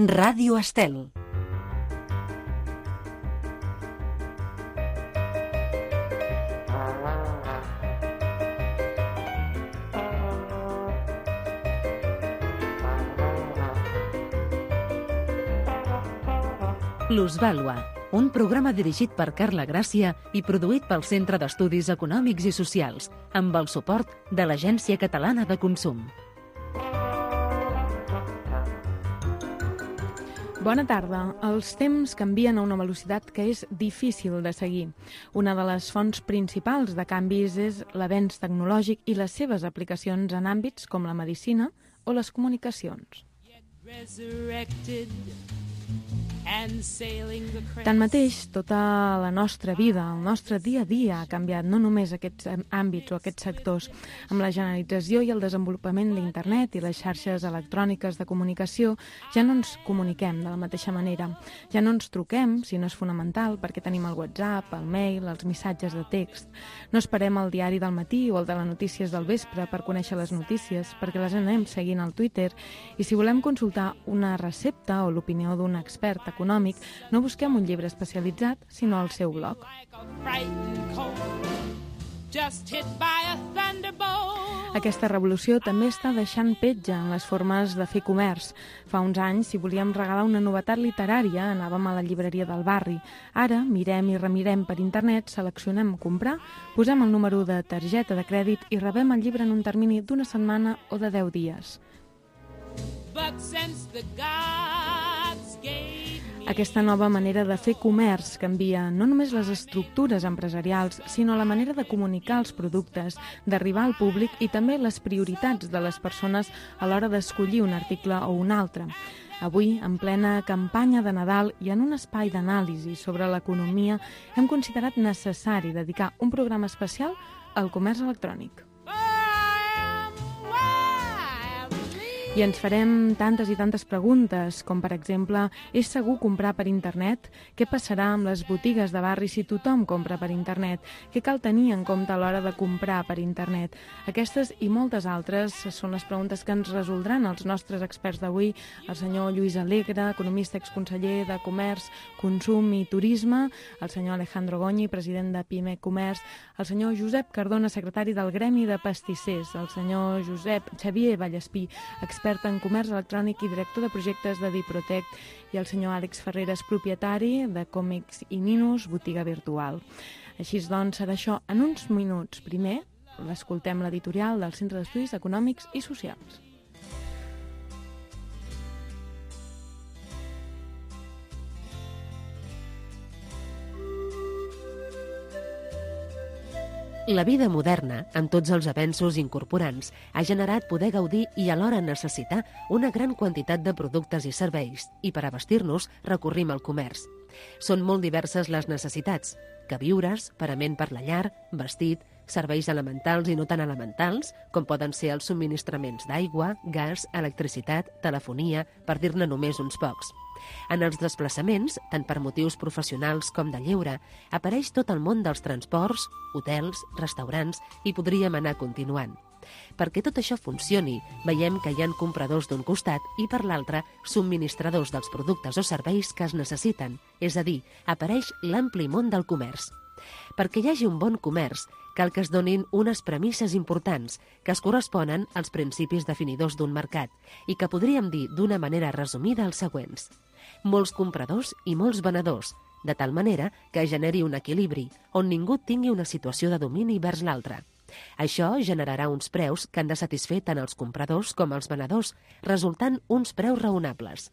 Ràdio Estel. Plusvàlua, un programa dirigit per Carla Gràcia i produït pel Centre d'Estudis Econòmics i Socials, amb el suport de l'Agència Catalana de Consum. Bona tarda. Els temps canvien a una velocitat que és difícil de seguir. Una de les fonts principals de canvis és l'avenç tecnològic i les seves aplicacions en àmbits com la medicina o les comunicacions. Tanmateix, tota la nostra vida, el nostre dia a dia ha canviat, no només aquests àmbits o aquests sectors. Amb la generalització i el desenvolupament d'internet i les xarxes electròniques de comunicació, ja no ens comuniquem de la mateixa manera. Ja no ens truquem, si no és fonamental, perquè tenim el WhatsApp, el mail, els missatges de text. No esperem el diari del matí o el de les notícies del vespre per conèixer les notícies, perquè les anem seguint al Twitter. I si volem consultar una recepta o l'opinió d'un expert econòmic, no busquem un llibre especialitzat, sinó el seu blog. Aquesta revolució també està deixant petja en les formes de fer comerç. Fa uns anys, si volíem regalar una novetat literària, anàvem a la llibreria del barri. Ara, mirem i remirem per internet, seleccionem comprar, posem el número de targeta de crèdit i rebem el llibre en un termini d'1 setmana o de 10 dies. Aquesta nova manera de fer comerç canvia no només les estructures empresarials, sinó la manera de comunicar els productes, d'arribar al públic i també les prioritats de les persones a l'hora d'escollir un article o un altre. Avui, en plena campanya de Nadal i en un espai d'anàlisi sobre l'economia, hem considerat necessari dedicar un programa especial al comerç electrònic. I ens farem tantes i tantes preguntes, com per exemple, és segur comprar per internet? Què passarà amb les botigues de barri si tothom compra per internet? Què cal tenir en compte a l'hora de comprar per internet? Aquestes i moltes altres són les preguntes que ens resoldran els nostres experts d'avui, el senyor Lluís Alegre, economista exconseller de Comerç, Consum i Turisme, el senyor Alejandro Goñi, president de PIME Comerç, el senyor Josep Cardona, secretari del Gremi de Pastissers, el senyor Josep Xavier Vallespí, expert en comerç electrònic i director de projectes de Diprotec, i el senyor Àlex Ferreres, propietari de Còmics i Ninos, botiga virtual. Així doncs, serà això en uns minuts. Primer, l'escoltem l'editorial del Centre d'Estudis Econòmics i Socials. La vida moderna, amb tots els avenços incorporants, ha generat poder gaudir i alhora necessitar una gran quantitat de productes i serveis, i per abastir-nos recorrim al comerç. Són molt diverses les necessitats: queviures, parament per la llar, vestit, serveis elementals i no tan elementals, com poden ser els subministraments d'aigua, gas, electricitat, telefonia, per dir-ne només uns pocs. En els desplaçaments, tant per motius professionals com de lleure, apareix tot el món dels transports, hotels, restaurants, i podríem anar continuant. Perquè tot això funcioni, veiem que hi ha compradors d'un costat i per l'altre subministradors dels productes o serveis que es necessiten, és a dir, apareix l'ampli món del comerç. Perquè hi hagi un bon comerç, cal que es donin unes premisses importants que es corresponen als principis definidors d'un mercat i que podríem dir d'una manera resumida els següents: molts compradors i molts venedors, de tal manera que generi un equilibri on ningú tingui una situació de domini vers l'altre. Això generarà uns preus que han de satisfer tant els compradors com els venedors, resultant uns preus raonables.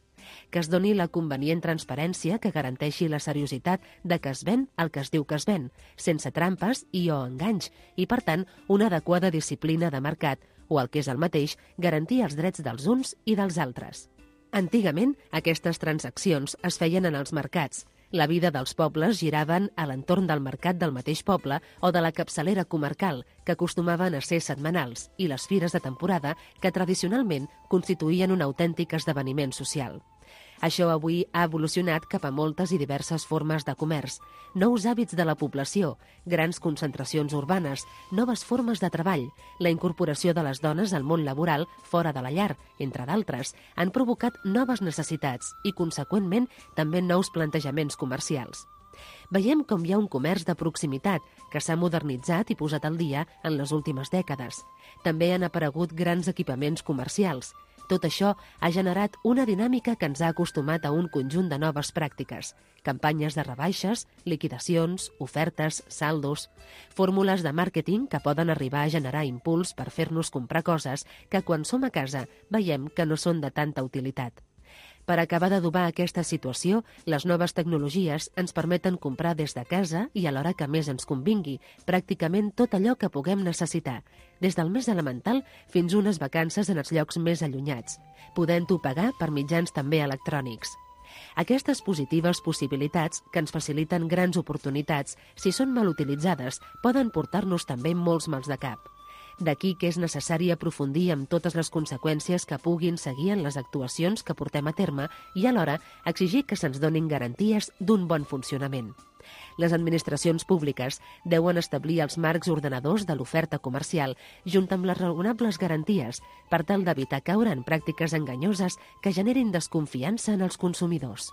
Que es doni la convenient transparència que garanteixi la seriositat de que es ven el que es diu que es ven, sense trampes i o enganys, i per tant una adequada disciplina de mercat, o el que és el mateix, garantir els drets dels uns i dels altres. Antigament, aquestes transaccions es feien en els mercats. La vida dels pobles giraven a l'entorn del mercat del mateix poble o de la capçalera comarcal, que acostumaven a ser setmanals, i les fires de temporada, que tradicionalment constituïen un autèntic esdeveniment social. Això avui ha evolucionat cap a moltes i diverses formes de comerç, nous hàbits de la població, grans concentracions urbanes, noves formes de treball, la incorporació de les dones al món laboral fora de la llar, entre d'altres, han provocat noves necessitats i, conseqüentment, també nous plantejaments comercials. Veiem com hi ha un comerç de proximitat que s'ha modernitzat i posat al dia en les últimes dècades. També han aparegut grans equipaments comercials. Tot això ha generat una dinàmica que ens ha acostumat a un conjunt de noves pràctiques, campanyes de rebaixes, liquidacions, ofertes, saldos, fórmules de màrqueting que poden arribar a generar impuls per fer-nos comprar coses que quan som a casa veiem que no són de tanta utilitat. Per acabar d'adobar aquesta situació, les noves tecnologies ens permeten comprar des de casa i a l'hora que més ens convingui, pràcticament tot allò que puguem necessitar, des del més elemental fins a unes vacances en els llocs més allunyats, podent-ho pagar per mitjans també electrònics. Aquestes positives possibilitats, que ens faciliten grans oportunitats, si són mal utilitzades, poden portar-nos també molts mals de cap. D'aquí que és necessari aprofundir en totes les conseqüències que puguin seguir en les actuacions que portem a terme i alhora exigir que se'ns donin garanties d'un bon funcionament. Les administracions públiques deuen establir els marcs ordenadors de l'oferta comercial junt amb les raonables garanties per tal d'evitar caure en pràctiques enganyoses que generin desconfiança en els consumidors.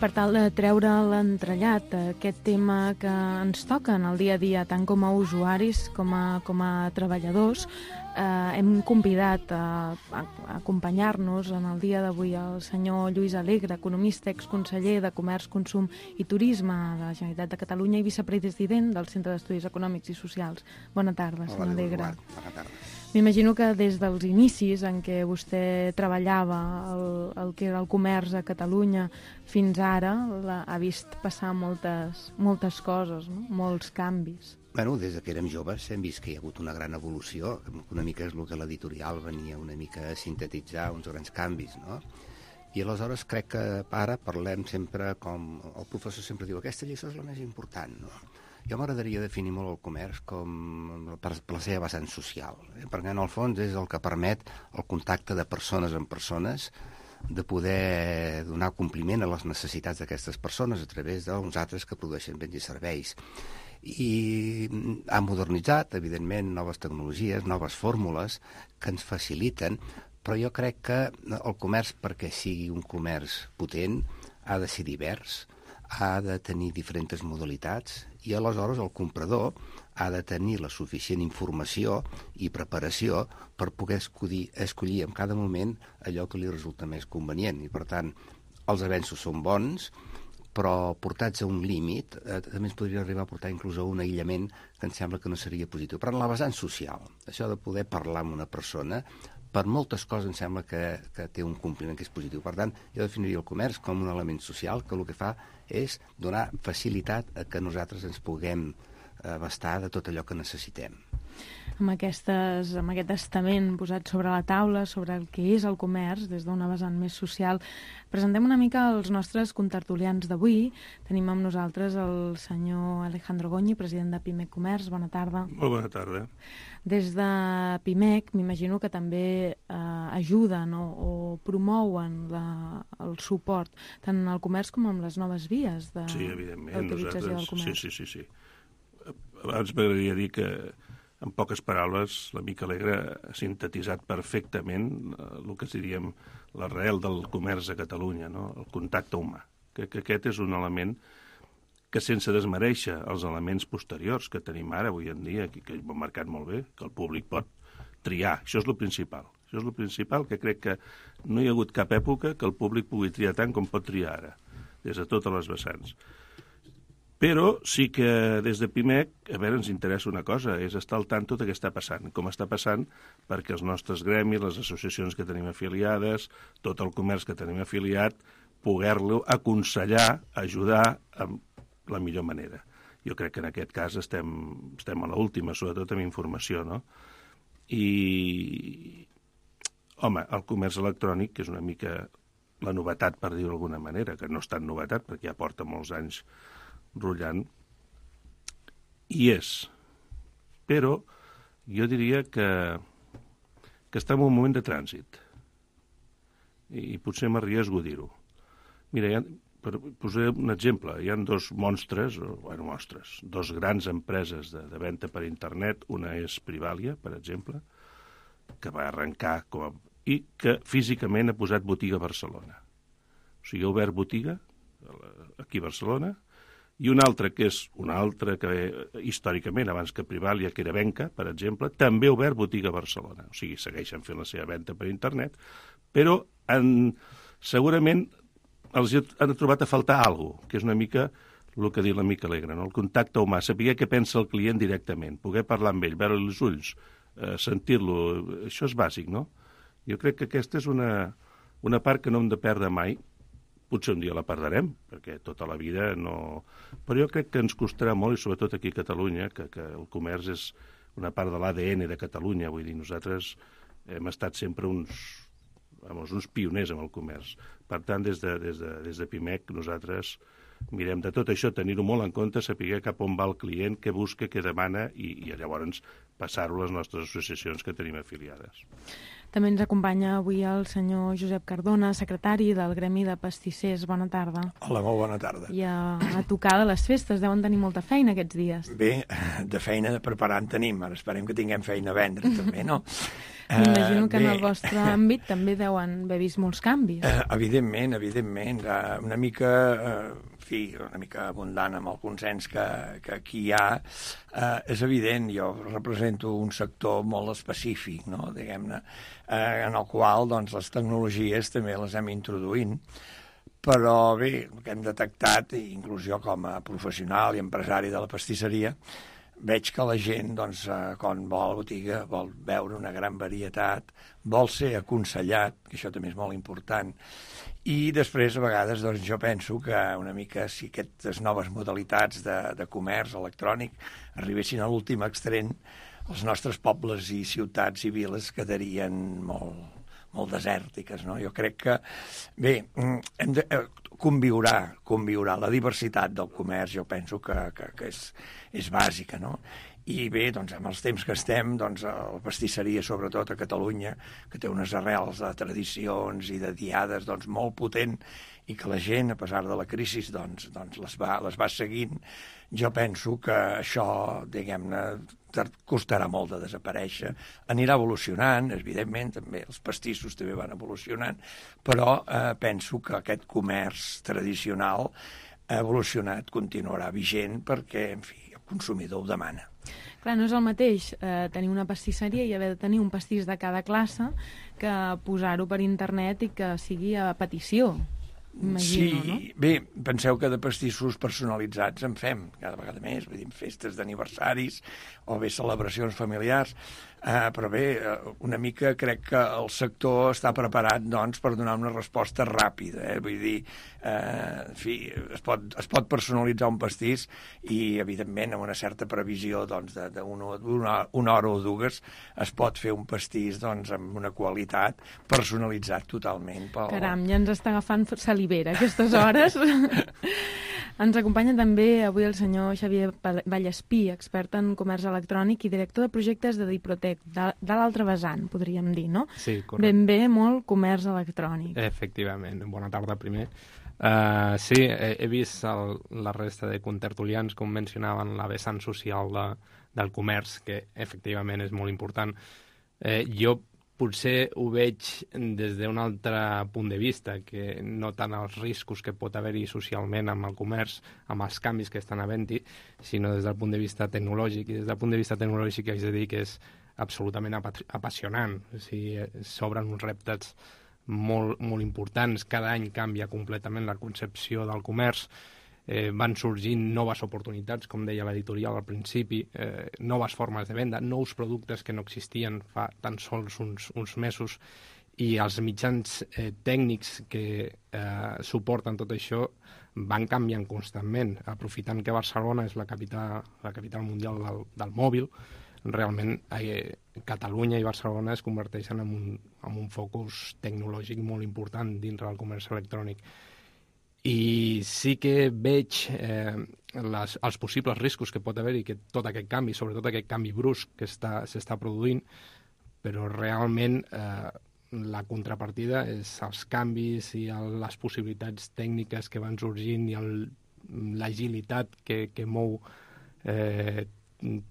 Per tal de treure l'entrellat aquest tema que ens toca en el dia a dia, tant com a usuaris com a treballadors, hem convidat a acompanyar-nos en el dia d'avui el senyor Lluís Alegre, economista, exconseller de Comerç, Consum i Turisme de la Generalitat de Catalunya i vicepresident del Centre d'Estudis Econòmics i Socials. Bona tarda, senyor Alegre. Bona tarda. M'imagino que des dels inicis en què vostè treballava el que era el comerç a Catalunya fins ara ha vist passar moltes coses, no? Molts canvis. Bueno, des que érem joves hem vist que hi ha hagut una gran evolució, una mica és el que l'editorial venia una mica a sintetitzar, uns grans canvis, no? I aleshores crec que ara parlem sempre com... El professor sempre diu, aquesta lliçó és la més important, no? Jo m'agradaria definir molt el comerç com per la seva vessant social, perquè en el fons és el que permet el contacte de persones amb persones, de poder donar compliment a les necessitats d'aquestes persones a través d'uns altres que produeixen béns i serveis. I ha modernitzat, evidentment, noves tecnologies, noves fórmules que ens faciliten, però jo crec que el comerç, perquè sigui un comerç potent, ha de ser divers, ha de tenir diferents modalitats i aleshores el comprador ha de tenir la suficient informació i preparació per poder escollir en cada moment allò que li resulta més convenient. I per tant, els avenços són bons, però portats a un límit també ens podria arribar a portar inclús a un aïllament que em sembla que no seria positiu. Però en la vessant social, això de poder parlar amb una persona, per moltes coses em sembla que té un compliment que és positiu. Per tant, jo definiria el comerç com un element social que el que fa és donar facilitat a que nosaltres ens puguem abastar de tot allò que necessitem. Amb aquest estament posat sobre la taula, sobre el que és el comerç, des d'una vessant més social, presentem una mica els nostres contertulians d'avui. Tenim amb nosaltres el senyor Alejandro Goñi, president de Pimec Comerç. Bona tarda. Molt bona tarda. Des de Pimec, m'imagino que també ajuden o promouen el suport tant al comerç com amb les noves vies d'utilització del comerç. Sí. Abans m'agradaria dir que, en poques paraules, l'amic Alegre ha sintetitzat perfectament el que diríem l'arrel del comerç a Catalunya, no? El contacte humà. Que aquest és un element que, sense desmereixer els elements posteriors que tenim ara, avui en dia, que ho han marcat molt bé, que el públic pot triar. Això és el principal. Això és el principal, que crec que no hi ha hagut cap època que el públic pugui triar tant com pot triar ara, des de totes les vessants. Però sí que des de Pimec, ens interessa una cosa, és estar al tanto de què està passant, com està passant perquè els nostres gremis, les associacions que tenim afiliades, tot el comerç que tenim afiliat, poder-lo aconsellar, ajudar amb la millor manera. Jo crec que en aquest cas estem a l'última, sobretot amb informació, no? I, home, el comerç electrònic, que és una mica la novetat, per dir-ho d'alguna manera, que no és tan novetat, perquè ja porta molts anys rotllant, hi és. Però jo diria que està en un moment de trànsit. I potser m'arriesgo a dir-ho. Mira, per posar un exemple, hi ha dos monstres, dos grans empreses de venda per internet. Una és Privalia, per exemple, que va arrencar i que físicament ha posat botiga a Barcelona. O sigui, ha obert botiga aquí a Barcelona, i una altra, que és una altra que històricament, abans que Privalia, que era Venca, per exemple, també ha obert botiga a Barcelona. O sigui, segueixen fent la seva venda per internet, però segurament els han trobat a faltar alguna cosa, que és una mica el que diu l'amic Alegre, no? El contacte humà, saber què pensa el client directament, poder parlar amb ell, veure-li els ulls, sentir-lo, això és bàsic, no? Jo crec que aquesta és una part que no hem de perdre mai. Potser un dia la perdrem, perquè tota la vida no... Però jo crec que ens costarà molt, i sobretot aquí a Catalunya, que el comerç és una part de l'ADN de Catalunya. Vull dir, nosaltres hem estat sempre uns pioners en el comerç. Per tant, des de Pimec, nosaltres mirem de tot això, tenir-ho molt en compte, saber cap on va el client, què busca, què demana, i llavors passar-ho a les nostres associacions que tenim afiliades. També ens acompanya avui el senyor Josep Cardona, secretari del Gremi de Pastissers. Bona tarda. Hola, molt bona tarda. I a tocar de les festes, deuen tenir molta feina aquests dies. Bé, de feina de preparar en tenim, ara esperem que tinguem feina a vendre també, no? M'imagino que en el vostre àmbit també deuen haver vist molts canvis. Evidentment, una mica abundant amb el consens que aquí hi ha. És evident, jo represento un sector molt específic, no? Diguem-ne, en el qual doncs, les tecnologies també les hem introduint, però bé, el que hem detectat, inclús jo com a professional i empresari de la pastisseria, veig que la gent, doncs, quan vol botiga, vol veure una gran varietat, vol ser aconsellat, que això també és molt important, i després, a vegades, doncs, jo penso que una mica si aquestes noves modalitats de comerç electrònic arribessin a l'últim extrem, els nostres pobles i ciutats i viles quedarien molt desèrtiques, no? Jo crec que, bé, hem de conviurà la diversitat del comerç, jo penso que és bàsica, no? I bé, doncs, amb els temps que estem, doncs, la pastisseria, sobretot a Catalunya, que té unes arrels de tradicions i de diades doncs, molt potent, i que la gent, a pesar de la crisi, doncs les va seguint, jo penso que això, diguem-ne, costarà molt de desaparèixer. Anirà evolucionant, evidentment, també els pastissos també van evolucionant, però penso que aquest comerç tradicional ha evolucionat, continuarà vigent, perquè, en fi, el consumidor ho demana. Clar, no és el mateix tenir una pastisseria i haver de tenir un pastís de cada classe que posar-ho per internet i que sigui a petició. Imagino, sí, no? Bé, penseu que de pastissos personalitzats en fem cada vegada més, vull dir, festes d'aniversaris o bé celebracions familiars, però bé, una mica crec que el sector està preparat, doncs, per donar una resposta ràpida, vull dir, en fi, es pot personalitzar un pastís i, evidentment, amb una certa previsió, doncs, d'una hora o dues, es pot fer un pastís, doncs, amb una qualitat personalitzat totalment. Caram, ja ens està agafant salivera aquestes hores. Ens acompanya també avui el senyor Xavier Vallespí, expert en comerç electrònic i director de projectes de Diprotec, de l'altre vessant, podríem dir, no? Sí, correcte. Ben bé, molt comerç electrònic. Efectivament. Bona tarda, primer. Sí, he vist la resta de contertulians com mencionaven la vessant social del comerç, que efectivament és molt important. Jo potser ho veig des d'un altre punt de vista, que no tant els riscos que pot haver-hi socialment amb el comerç, amb els canvis que estan havent-hi, sinó des del punt de vista tecnològic. I des del punt de vista tecnològic haig de dir que és absolutament apassionant. O sigui, s'obren uns reptes molt, molt importants. Cada any canvia completament la concepció del comerç. Van sorgint noves oportunitats, com deia l'editorial al principi, noves formes de venda, nous productes que no existien fa tan sols uns mesos, i els mitjans tècnics que suporten tot això van canviant constantment. Aprofitant que Barcelona és la capital mundial del mòbil, realment Catalunya i Barcelona es converteixen en un focus tecnològic molt important dintre del comerç electrònic. I sí que veig els possibles riscos que pot haver-hi, que tot aquest canvi, sobretot aquest canvi brusc que s'està produint, però realment la contrapartida és els canvis i les possibilitats tècniques que van sorgint i l'agilitat que mou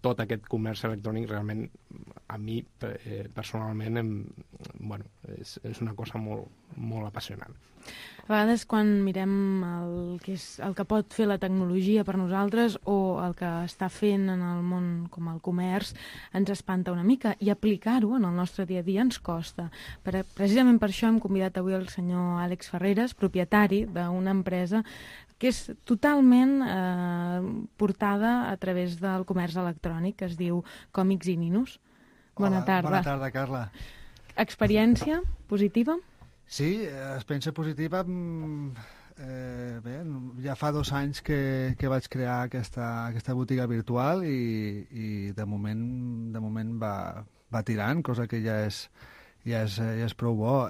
tot aquest comerç electrònic. Realment, a mi personalment és una cosa molt, molt apassionant. A vegades quan mirem el que pot fer la tecnologia per nosaltres o el que està fent en el món com el comerç, ens espanta una mica, i aplicar-ho en el nostre dia a dia ens costa. Precisament per això hem convidat avui el senyor Àlex Ferreres, propietari d'una empresa que és totalment portada a través del comerç electrònic, que es diu Còmics i Ninos. Bona tarda. Bona tarda, Carla. Experiència positiva? Sí, experiència positiva. Bé, ja fa 2 anys que vaig crear aquesta botiga virtual i de moment va tirant, cosa que ja és prou bo.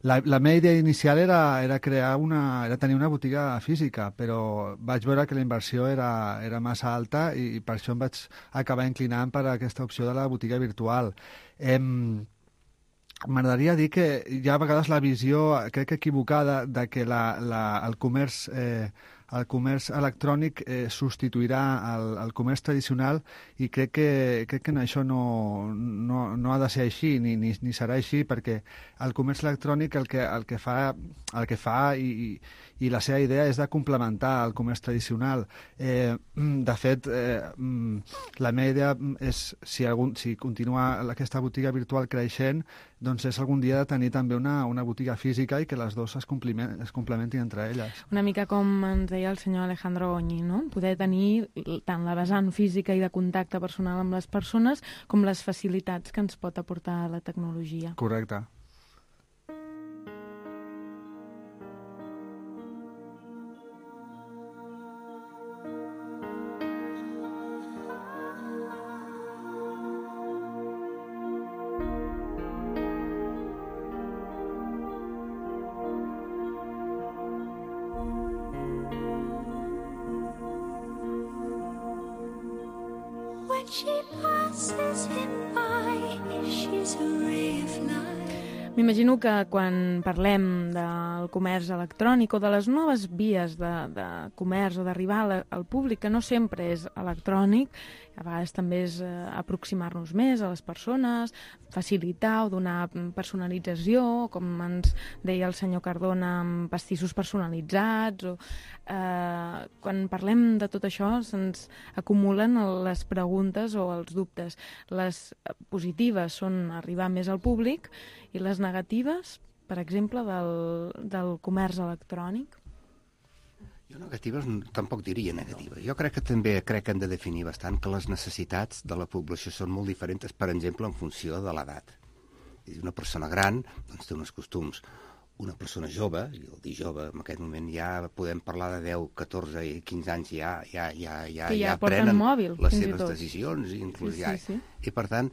La meva idea inicial era tenir una botiga física, però vaig veure que la inversió era massa alta i per això em vaig acabar inclinant per aquesta opció de la botiga virtual. M'agradaria dir que hi ha a vegades la visió, crec que equivocada, de que el comerç electrònic substituirà el comerç tradicional, i crec que això no ha de ser així, ni serà així, perquè el comerç electrònic el que fa i la seva idea és de complementar el comerç tradicional. De fet, la meva idea és, si continua aquesta botiga virtual creixent, doncs és algun dia de tenir també una botiga física i que les dues es complementin entre elles. Una mica com ens deia el senyor Alejandro Goñi, no? Poder tenir tant la vessant física i de contacte personal amb les persones com les facilitats que ens pot aportar la tecnologia. Correcte. M'imagino que quan parlem del comerç electrònic o de les noves vies de comerç o d'arribar al públic, que no sempre és electrònic, a vegades també és aproximar-nos més a les persones, facilitar o donar personalització, com ens deia el senyor Cardona, amb pastissos personalitzats. Quan parlem de tot això se'ns acumulen les preguntes o els dubtes. Les positives són arribar més al públic, i les negatives, per exemple, del comerç electrònic? Jo negatives tampoc diria negatives. Jo crec que hem de definir bastant que les necessitats de la població són molt diferents, per exemple, en funció de l'edat. Una persona gran doncs, té uns costums. Una persona jove, i el dir jove, en aquest moment ja podem parlar de 10, 14 i 15 anys, ja prenen mòbil, les seves decisions. Inclús sí. I, per tant,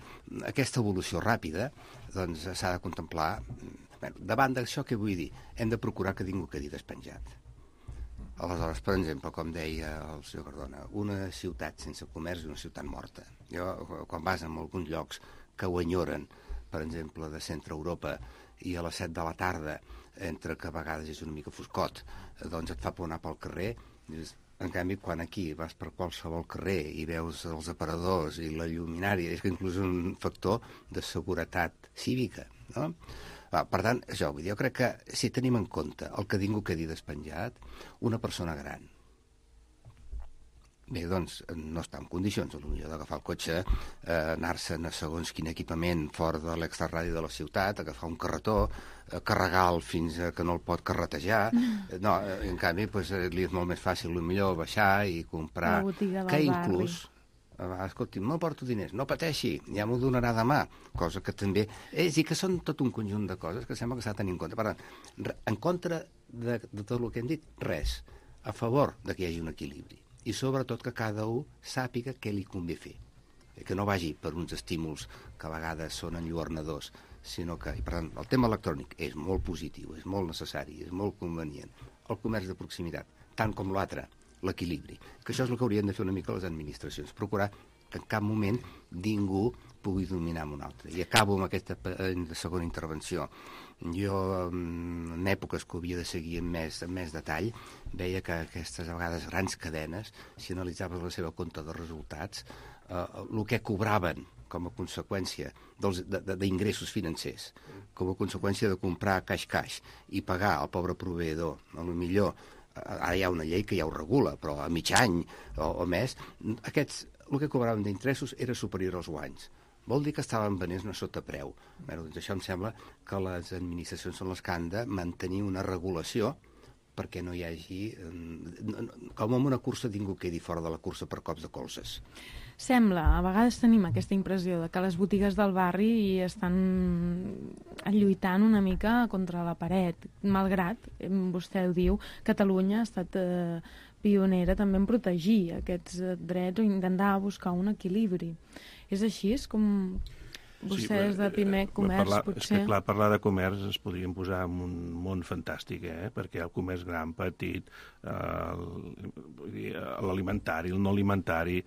aquesta evolució ràpida doncs, s'ha de contemplar. Davant d'això, què vull dir? Hem de procurar que ningú quedi despenjat. Aleshores, per exemple, com deia el senyor Cardona, una ciutat sense comerç és una ciutat morta. Quan vas a alguns llocs que ho enyoren, per exemple, de centre Europa, i a les 7 de la tarda, entre que a vegades és una mica foscot, doncs et fa por anar pel carrer. En canvi, quan aquí vas per qualsevol carrer i veus els aparadors i la lluminària, és que inclús un factor de seguretat cívica, no? Per tant, jo crec que si tenim en compte el que ningú quedi despenjat, una persona gran, bé, doncs no està en condicions, potser d'agafar el cotxe, anar-se'n a segons quin equipament fora de l'extraradi de la ciutat, agafar un carretó, carregar-lo fins que no el pot carretejar. No, en canvi, li és molt més fàcil, millor baixar i comprar, que inclús escolti, no porto diners, no pateixi, ja m'ho donarà demà, cosa que també... És dir, que són tot un conjunt de coses que sembla que s'ha de tenir en compte. Per tant, en contra de tot el que hem dit, res. A favor de que hi hagi un equilibri. I sobretot que cada un sàpiga què li convé fer. Que no vagi per uns estímuls que a vegades són enlluernadors, sinó que, i per tant, el tema electrònic és molt positiu, és molt necessari, és molt convenient. El comerç de proximitat, tant com l'altre, l'equilibri. Que això és el que haurien de fer una mica les administracions, procurar que en cap moment ningú pugui dominar amb un altre. I acabo amb aquesta segona intervenció. Jo, en èpoques que ho havia de seguir amb més detall, veia que aquestes a vegades grans cadenes, si analitzaves la seva compte de resultats, el que cobraven com a conseqüència d'ingressos financers, com a conseqüència de comprar cash i pagar al pobre proveïdor, potser ara hi ha una llei que ja ho regula, però a mig any o més, aquests, el que cobraven d'interessos era superior als guanys. Vol dir que estaven venents a sotapreu. Bé, doncs això em sembla que les administracions són les que han de mantenir una regulació perquè no hi hagi... com en una cursa ningú quedi fora de la cursa per cops de colzes. Sembla, a vegades tenim aquesta impressió de que les botigues del barri estan lluitant una mica contra la paret, malgrat, vostè ho diu, Catalunya ha estat pionera també en protegir aquests drets o intentar buscar un equilibri. És així? És com vostès de Pimec Comerç, potser? És que, clar, parlar de comerç ens podríem posar en un món fantàstic, perquè hi ha el comerç gran, petit, l'alimentari, el no alimentari.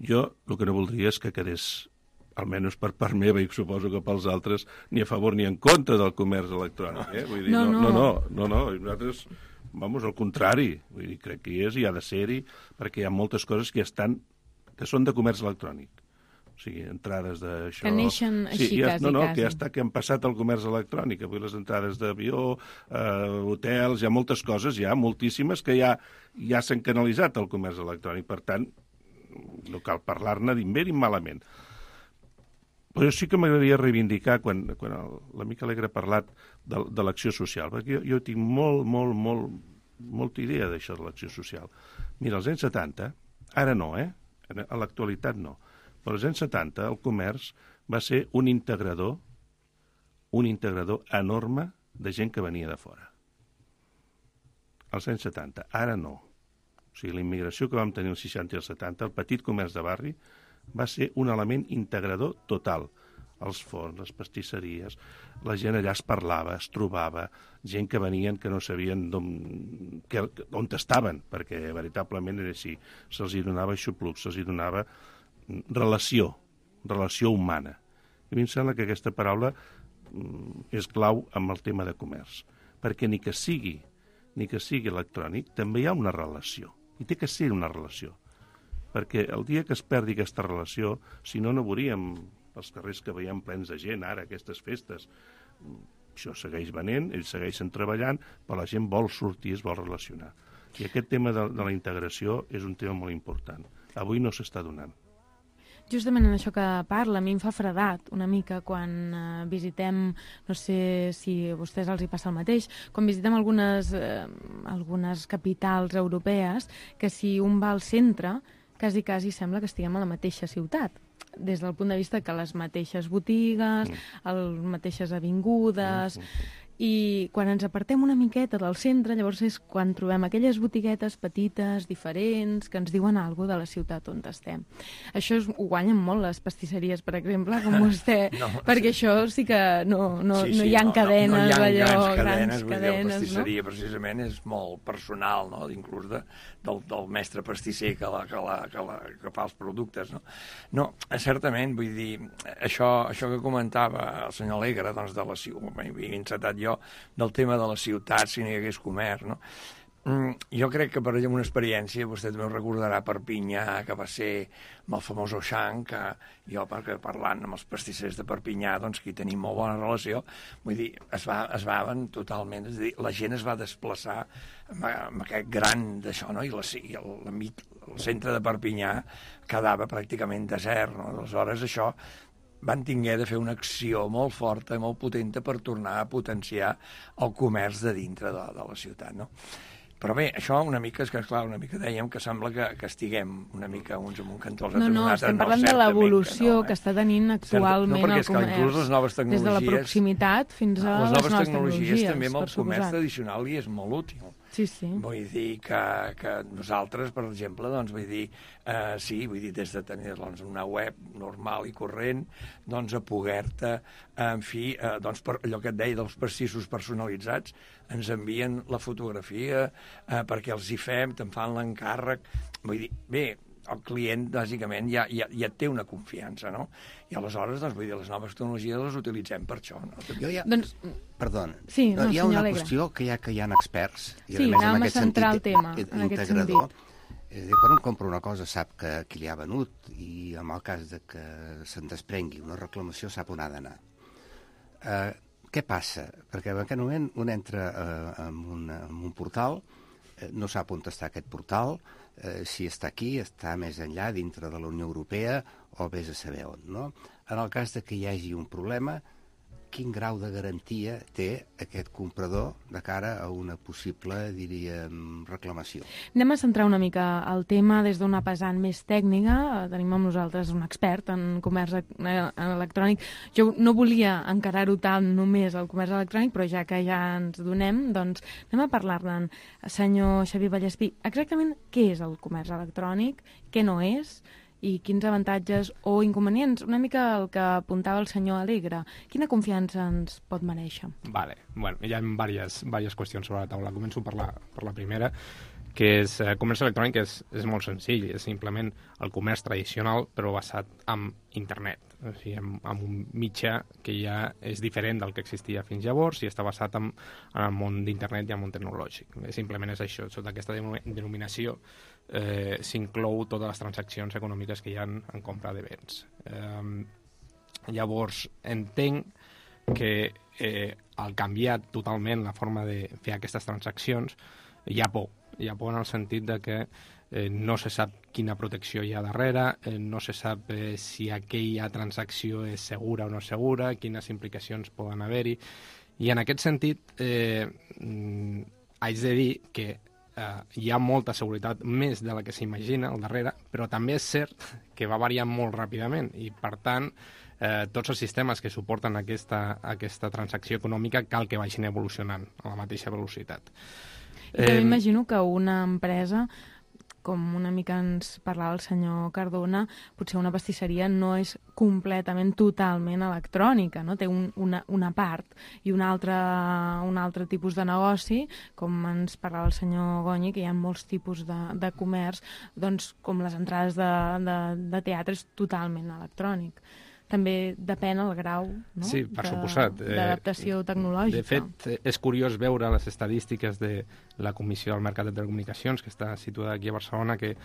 Jo el que no voldria és que quedés, almenys per part meva i suposo que pels altres, ni a favor ni en contra del comerç electrònic. Vull dir, no. Nosaltres, al contrari, vull dir, crec que hi és i ha de ser-hi, perquè hi ha moltes coses que són de comerç electrònic. O sigui, entrades d'això... Que neixen així, quasi. Que han passat al comerç electrònic. Avui les entrades d'avió, hotels, hi ha moltes coses, hi ha moltíssimes que ja s'han canalitzat al comerç electrònic. Per tant, no cal parlar-ne ni bé ni malament. Però sí que m'agradaria reivindicar, quan l'amic Alegre ha parlat de l'acció social, perquè jo tinc molta idea d'això de l'acció social. Mira, als anys 70, ara no, a l'actualitat no, però als anys 70 el comerç va ser un integrador enorme de gent que venia de fora. Als anys 70, ara no. O sigui, la immigració que vam tenir als 60 i als 70, el petit comerç de barri, va ser un element integrador total. Els forns, les pastisseries, la gent allà es parlava, es trobava, gent que venien que no sabien on estaven, perquè veritablement era així. Se'ls donava xupluc, se'ls donava relació humana. I a mi em sembla que aquesta paraula és clau amb el tema de comerç, perquè ni que sigui electrònic, també hi ha una relació. I té que ser una relació. Perquè el dia que es perdi aquesta relació, si no, no veuríem els carrers que veiem plens de gent ara, aquestes festes. Això segueix venent, ells segueixen treballant, però la gent vol sortir, es vol relacionar. I aquest tema de la integració és un tema molt important. Avui no s'està donant. Justament en això que parla, a mi em fa fredat una mica quan visitem, no sé si a vostès els hi passa el mateix, quan visitem algunes capitals europees, que si un va al centre, quasi sembla que estiguem a la mateixa ciutat, des del punt de vista que les mateixes botigues, les mateixes avingudes... I quan ens apartem una miqueta del centre, llavors és quan trobem aquelles botiguetes petites, diferents, que ens diuen alguna cosa de la ciutat on estem. Això ho guanyen molt les pastisseries, per exemple, com vostè, perquè això sí que no hi ha cadenes, grans cadenes. La pastisseria, precisament, és molt personal, no? Inclús del mestre pastisser que fa els productes. No, certament, vull dir, això que comentava el senyor Alegre, doncs, de la ciutat, m'he encetat jo, del tema de la ciutat, si no hi hagués comerç, no? Jo crec que, per exemple, una experiència, vostè també ho recordarà, Perpinyà, que va ser amb el famós Auchan, que jo, parlant amb els pastissers de Perpinyà, doncs, que hi tenim molt bona relació, vull dir, es van totalment, és a dir, la gent es va desplaçar amb aquest gran d'això, no? I el centre de Perpinyà quedava pràcticament desert, no? Aleshores, això van tinguer de fer una acció molt forta i molt potenta per tornar a potenciar el comerç de dintre de la ciutat, no? Però bé, això una mica, és que clar, una mica dèiem que sembla que estiguem una mica uns amb un cantó, els altres No, un altre. estem parlant de l'evolució que està tenint actualment el comerç. Inclús les noves tecnologies... Des de la proximitat fins a les noves tecnologies. També amb el comerç tradicional li és molt útil. Sí, sí. Vull dir que nosaltres, per exemple, doncs, vull dir, des de tenir una web normal i corrent, doncs, a poder-te, en fi, doncs, per allò que et deia dels pastissos personalitzats, ens envien la fotografia perquè els hi fem, te'n fan l'encàrrec. Vull dir, bé, el client, bàsicament, ja té una confiança, no? I aleshores, doncs, vull dir, les noves tecnologies les utilitzem per això, no? Doncs... Perdó, sí, hi ha una Alegre. qüestió que hi ha experts, i sí, a més anem a centrar el tema, en aquest sentit. Quan un compra una cosa sap que qui li ha venut, i en el cas de que se'n desprengui una reclamació sap on ha d'anar. Què passa? Perquè en aquest moment un entra en un portal, no sap on està aquest portal, si està aquí, està més enllà, dintre de la Unió Europea, o vés a saber on, no? En el cas de que hi hagi un problema, quin grau de garantia té aquest comprador de cara a una possible, diríem, reclamació? Anem a centrar una mica el tema des d'una pesant més tècnica. Tenim amb nosaltres un expert en comerç electrònic. Jo no volia encarar-ho tant només al comerç electrònic, però ja que ja ens donem, doncs anem a parlar-ne. Senyor Xavier Vallespí, exactament què és el comerç electrònic, què no és, i quins avantatges o inconvenients, una mica el que apuntava el senyor Alegre. Quina confiança ens pot mereixer? Vale. Bueno, hi ha diverses qüestions sobre la taula. Començo per la primera, que és comerç electrònic és molt senzill, és simplement el comerç tradicional però basat en internet, o sigui, en un mitjà que ja és diferent del que existia fins llavors i està basat en el món d'internet i en el món tecnològic. Simplement és això, sota aquesta denominació s'inclou totes les transaccions econòmiques que hi ha en compra de béns. Llavors, entenc que al canviar totalment la forma de fer aquestes transaccions hi ha por en el sentit de que no se sap quina protecció hi ha darrere, no se sap si aquella transacció és segura o no segura, quines implicacions poden haver-hi, i en aquest sentit haig de dir que hi ha molta seguretat, més de la que s'imagina al darrere, però també és cert que va variant molt ràpidament i, per tant, tots els sistemes que suporten aquesta transacció econòmica cal que vagin evolucionant a la mateixa velocitat. I també imagino que una empresa, com una mica ens parlava el senyor Cardona, potser una pastisseria no és completament, totalment electrònica, no? Té una part i un altre tipus de negoci, com ens parlava el senyor Gonyi, que hi ha molts tipus de comerç, doncs com les entrades de teatre és totalment electrònic. També depèn el grau, no? Sí, per suposat. D'adaptació tecnològica. De fet, és curiós veure les estadístiques de la Comissió del Mercat de Telecomunicacions, que està situada aquí a Barcelona, que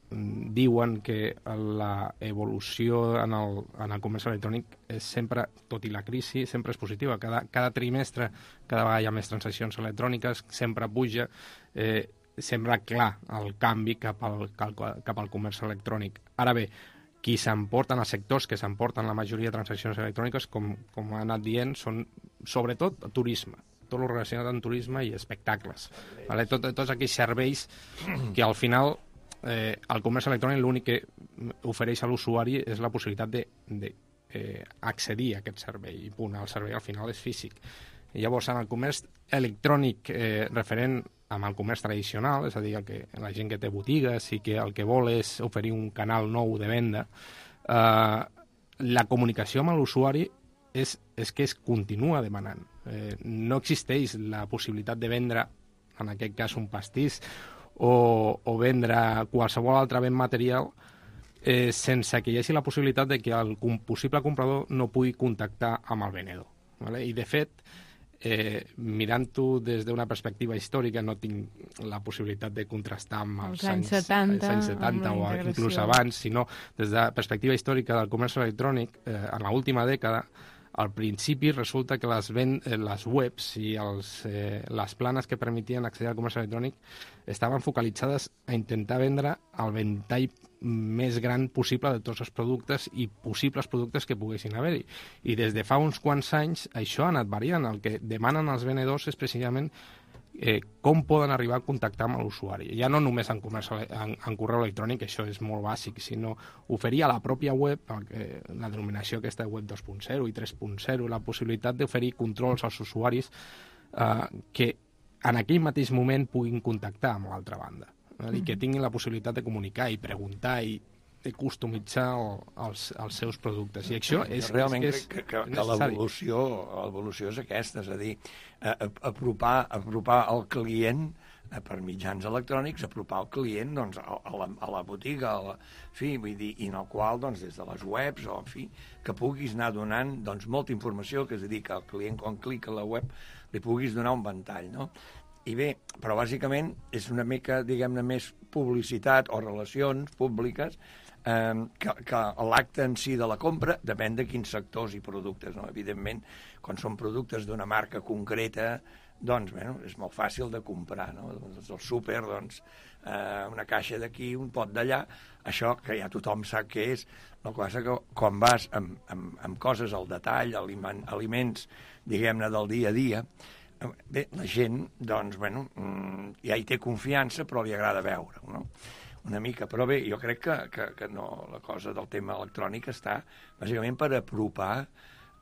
diuen que l'evolució en el comerç electrònic és sempre, tot i la crisi, sempre és positiva. Cada trimestre, cada vegada hi ha més transaccions electròniques, sempre puja, sembla clar el canvi cap al comerç electrònic. Ara bé, qui s'emporten, els sectors que s'emporten la majoria de transaccions electròniques, com ha anat dient, són sobretot turisme, tot el relacionat amb turisme i espectacles. Vale? Tots aquells serveis que al final el comerç electrònic l'únic que ofereix a l'usuari és la possibilitat d'accedir a aquest servei, i punt, el servei al final és físic. I llavors, en el comerç electrònic referent amb el comerç tradicional, és a dir, la gent que té botigues i que el que vol és oferir un canal nou de venda, la comunicació amb l'usuari és que es continua demanant. No existeix la possibilitat de vendre, en aquest cas, un pastís o vendre qualsevol altre bé material sense que hi hagi la possibilitat de que el possible comprador no pugui contactar amb el venedor. Vale? I, de fet, mirant-ho des d'una perspectiva històrica, no tinc la possibilitat de contrastar amb els anys 70 o inclús abans, sinó des de la perspectiva històrica del comerç electrònic, en l'última dècada, al principi resulta que les webs i les planes que permetien accedir al comerç electrònic estaven focalitzades a intentar vendre el ventall més gran possible de tots els productes i possibles productes que poguessin haver-hi. I des de fa uns quants anys això ha anat variant. El que demanen els venedors és precisament com poden arribar a contactar amb l'usuari. Ja no només en correu electrònic, això és molt bàsic, sinó oferir a la pròpia web, la denominació aquesta de web 2.0 i 3.0, la possibilitat d'oferir controls als usuaris que en aquell mateix moment puguin contactar amb l'altra banda, i que tinguin la possibilitat de comunicar i preguntar i de customitzar els seus productes. I això és realment necessari. Que l'evolució és aquesta, és a dir, apropar el client per mitjans electrònics, apropar el client doncs, a la botiga, vull dir, i en el qual doncs, des de les webs o que puguis anar donant doncs, molta informació, que és a dir, que el client quan clica a la web li puguis donar un ventall, no? I bé, però bàsicament és una mica, diguem-ne, més publicitat o relacions públiques que l'acte en si de la compra depèn de quins sectors i productes, no? Evidentment, quan són productes d'una marca concreta, doncs, és molt fàcil de comprar, no? Doncs el súper, doncs, una caixa d'aquí, un pot d'allà, això que ja tothom sap què és. El que passa que quan vas amb coses al detall, aliments, diguem-ne, del dia a dia, bé, la gent, doncs, ja hi té confiança, però li agrada veure-ho, no? Una mica, però bé, jo crec que no, la cosa del tema electrònic està bàsicament per apropar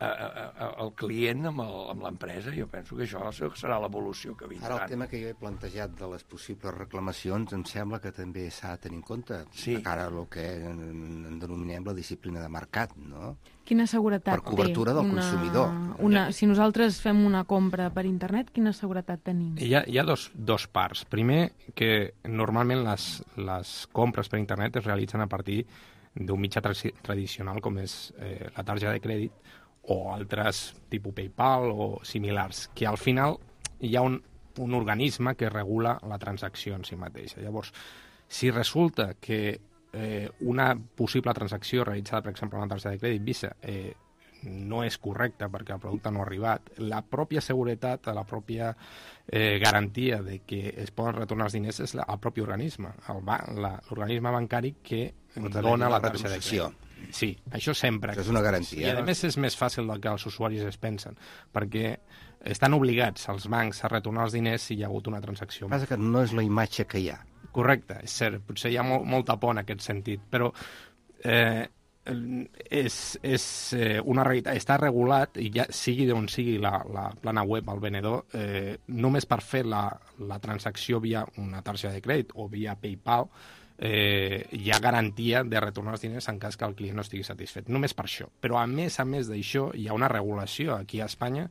el client amb l'empresa. Jo penso que això serà l'evolució que vindrà. Ara el tema que jo he plantejat de les possibles reclamacions em sembla que també s'ha de tenir en compte sí. de cara a el que en denominem la disciplina de mercat, no? Quina seguretat té? Per cobertura del consumidor. Si nosaltres fem una compra per internet, quina seguretat tenim? Hi ha dos parts. Primer, que normalment les compres per internet es realitzen a partir d'un mitjà tradicional com és la targeta de crèdit o altres tipus PayPal o similars, que al final hi ha un organisme que regula la transacció en si mateixa. Llavors, si resulta que una possible transacció realitzada, per exemple, amb una targeta de crèdit Visa no és correcta perquè el producte no ha arribat, la pròpia seguretat, la pròpia garantia de que es poden retornar els diners és el propi organisme, l'organisme bancari que dona la targeta de crèdit. Sí, això sempre. Això és una garantia. I a més és més fàcil del que els usuaris es pensen, perquè estan obligats els bancs a retornar els diners si hi ha hagut una transacció. El que passa que no és la imatge que hi ha. Correcte, és cert, potser hi ha molta por en aquest sentit, però és una realitat, està regulat i ja sigui d'on sigui la plana web al venedor, només per fer la transacció via una targeta de crèdit o via PayPal hi ha garantia de retornar els diners en cas que el client no estigui satisfet. Només per això. Però a més d'això hi ha una regulació aquí a Espanya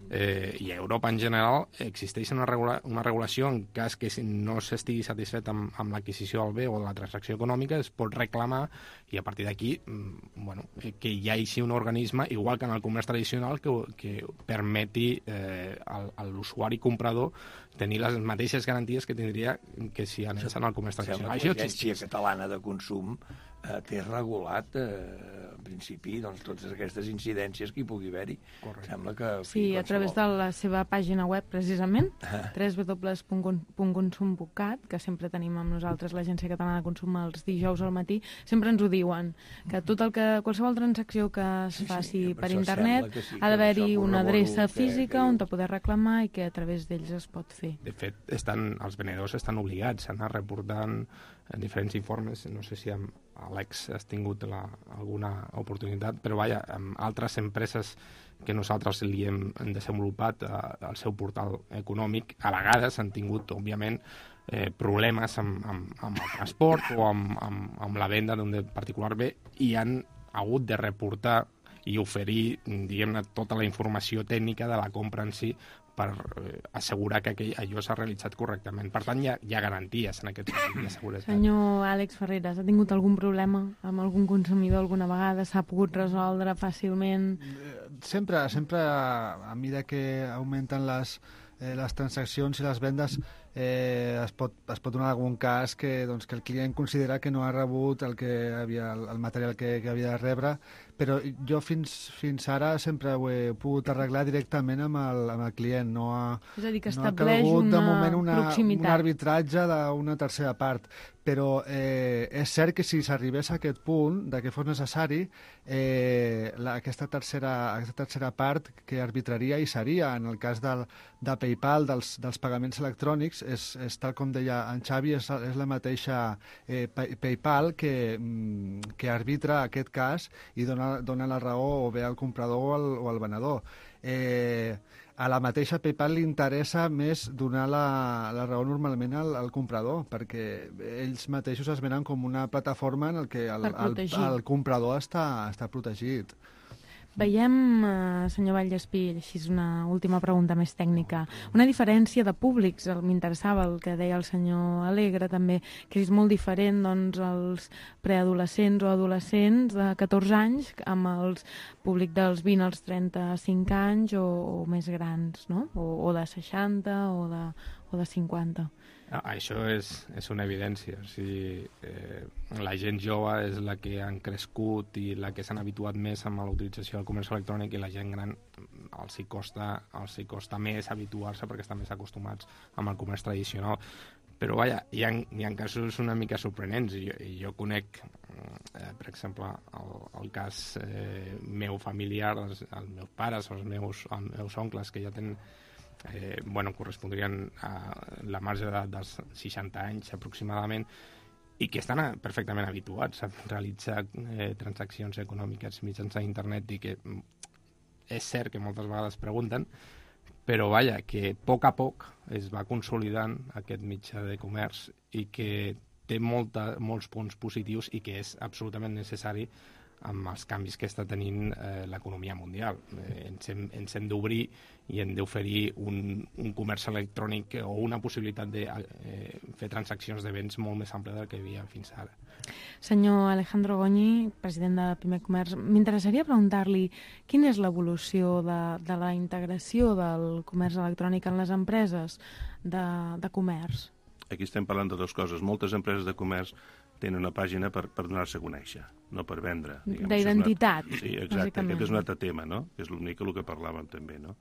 i a Europa en general. Existeix una regulació en cas que no s'estigui satisfet amb l'adquisició del bé o de la transacció econòmica, es pot reclamar i a partir d'aquí que hi hagi un organisme, igual que en el comerç tradicional, que permeti a l'usuari comprador tenir les mateixes garanties que tindria que si anés en el comerç tradicional. L'Agència Catalana de Consum té regulat, en principi, doncs, totes aquestes incidències que hi pugui haver-hi. Sembla que... Sí, a través de la seva pàgina web, precisament, www.consum.cat, que sempre tenim amb nosaltres l'Agència Catalana de Consum els dijous al matí, sempre ens ho diuen, que qualsevol transacció que es faci per internet ha d'haver-hi una adreça física on te poder reclamar i que a través d'ells es pot fer. De fet, els venedors estan obligats a anar reportant diferents informes, no sé si amb Alex has tingut alguna oportunitat, però vaja, amb altres empreses que nosaltres li hem desenvolupat al seu portal econòmic, a vegades han tingut, òbviament, problemes amb el transport o amb la venda d'un particular bé i han hagut de reportar i oferir, diguem-ne, tota la informació tècnica de la compra en si per assegurar que allò s'ha realitzat correctament. Per tant, hi ha garanties en aquest sentit de seguretat. Senyor Àlex Ferreras, ha tingut algun problema amb algun consumidor alguna vegada? S'ha pogut resoldre fàcilment? Sempre, a mesura que augmenten les transaccions i les vendes, es pot donar algun cas que el client considera que no ha rebut el material que havia de rebre, però jo fins ara sempre ho he pogut arreglar directament amb el client. És a dir, que no ha estableix calgut, de una moment, proximitat. un arbitratge d'una tercera part. Però és cert que si s'arribés a aquest punt, que fos necessari, aquesta tercera part que arbitraria hi seria. En el cas de PayPal, dels pagaments electrònics, és tal com deia en Xavi, és la mateixa PayPal que arbitra aquest cas i dona la raó o bé al comprador o al venedor. A la mateixa PayPal li interessa més donar la raó normalment al comprador, perquè ells mateixos es venen com una plataforma en què el comprador està protegit. Veiem, senyor Vallespí, així és una última pregunta més tècnica, una diferència de públics. M'interessava el que deia el senyor Alegre també, que és molt diferent doncs, els preadolescents o adolescents de 14 anys amb el públic dels 20 als 35 anys o més grans, no? O de 60 o de 50. Això és una evidència. O sigui, la gent jove és la que han crescut i la que s'han habituat més amb la utilització del comerç electrònic, i la gent gran els hi costa més habituar-se perquè estan més acostumats amb el comerç tradicional. Però vaja, hi ha casos una mica sorprenents. Jo conec, per exemple, el cas meu familiar, els meus pares o els meus oncles, que ja tenen correspondrien a la marge d'edat dels 60 anys aproximadament, i que estan perfectament habituats a realitzar transaccions econòmiques mitjançant internet, i que és cert que moltes vegades pregunten, però vaja, que a poc es va consolidant aquest mitjà de comerç i que té molts punts positius i que és absolutament necessari amb els canvis que està tenint l'economia mundial. Ens hem d'obrir i hem d'oferir un comerç electrònic o una possibilitat de fer transaccions de béns molt més àmplia del que hi havia fins ara. Senyor Alejandro Goñi, president de Pimec Comerç, m'interessaria preguntar-li quina és l'evolució de la integració del comerç electrònic en les empreses de comerç. Aquí estem parlant de dues coses. Moltes empreses de comerç tenen una pàgina per donar-se a conèixer, no per vendre. D'identitat. Sí, exacte. Aquest és un altre tema, no? Que és l'únic el que parlàvem també, no?